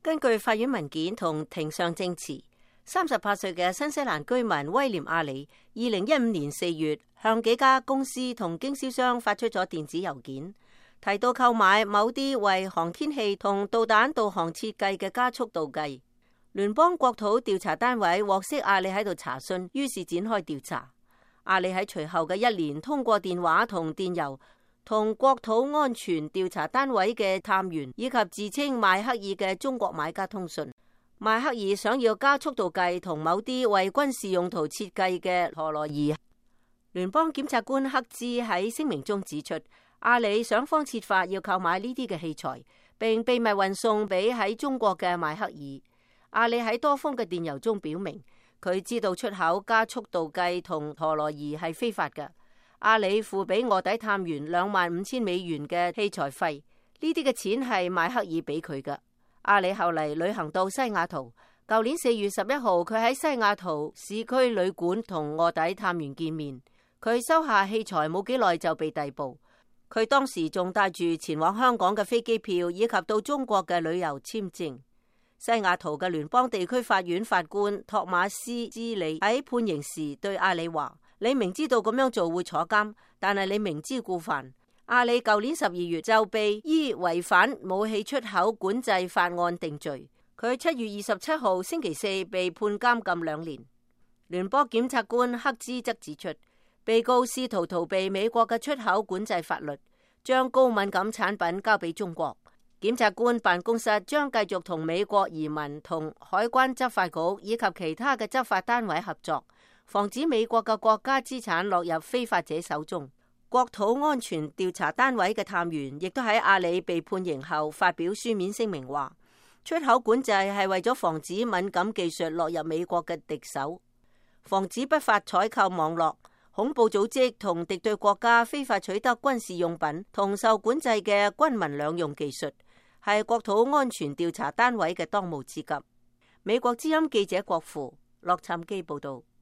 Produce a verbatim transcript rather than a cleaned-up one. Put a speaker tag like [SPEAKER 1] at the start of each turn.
[SPEAKER 1] 根據法院文件同庭上證詞，三十八歲嘅新西蘭居民威廉阿里，二零一五年四月向幾家公司同經銷商發出咗電子郵件，提到購買某啲為航天器同導彈導航設計嘅加速度計。聯邦國土調查單位獲悉阿里喺度查詢，於是展開調查。阿里喺隨後嘅一年通過電話同電郵同國土安全調查單位嘅探員以及自稱邁克爾嘅中國買家通訊。邁克爾想要加速度計同某啲為軍事用途設計嘅陀螺儀。聯邦檢察官克茲喺聲明中指出，阿里想方設法要購買呢啲嘅器材，並秘密運送俾喺中國嘅邁克爾。阿里喺多封嘅電郵中表明，佢知道出口加速度計同陀螺儀係非法嘅。阿里付俾臥底探員兩萬五千美元嘅器材費，呢啲嘅錢係邁克爾俾佢嘅。阿里後嚟旅行到西雅圖，舊年四月十一號，佢喺西雅圖市區旅館同臥底探員見面。佢收下器材冇幾耐就被逮捕。佢當時仲帶住前往香港嘅飛機票以及到中國嘅旅遊簽證。西雅圖嘅聯邦地區法院法官托馬斯茲里喺判刑時對阿里話：你明知道咁樣做會坐監，但係你明知故犯。阿里舊年十二月就被依違反武器出口管制法案定罪。佢七月二十七號星期四被判監禁兩年。聯邦檢察官克茲則指出，被告試圖逃避美國嘅出口管制法律，將高敏感產品交俾中國。檢察官辦公室將繼續同美國移民同海關執法局以及其他嘅執法單位合作，防止美國嘅國家資產落入非法者手中。國土安全調查單位嘅探員亦都喺阿里被判刑後發表書面聲明話，出口管制係為咗防止敏感技術落入美國嘅敵手，防止不法採購網絡、恐怖組織同敵對國家非法取得軍事用品同受管制嘅軍民兩用技術，係國土安全調查單位嘅當務之急。美國之音記者郭芙洛杉磯報道。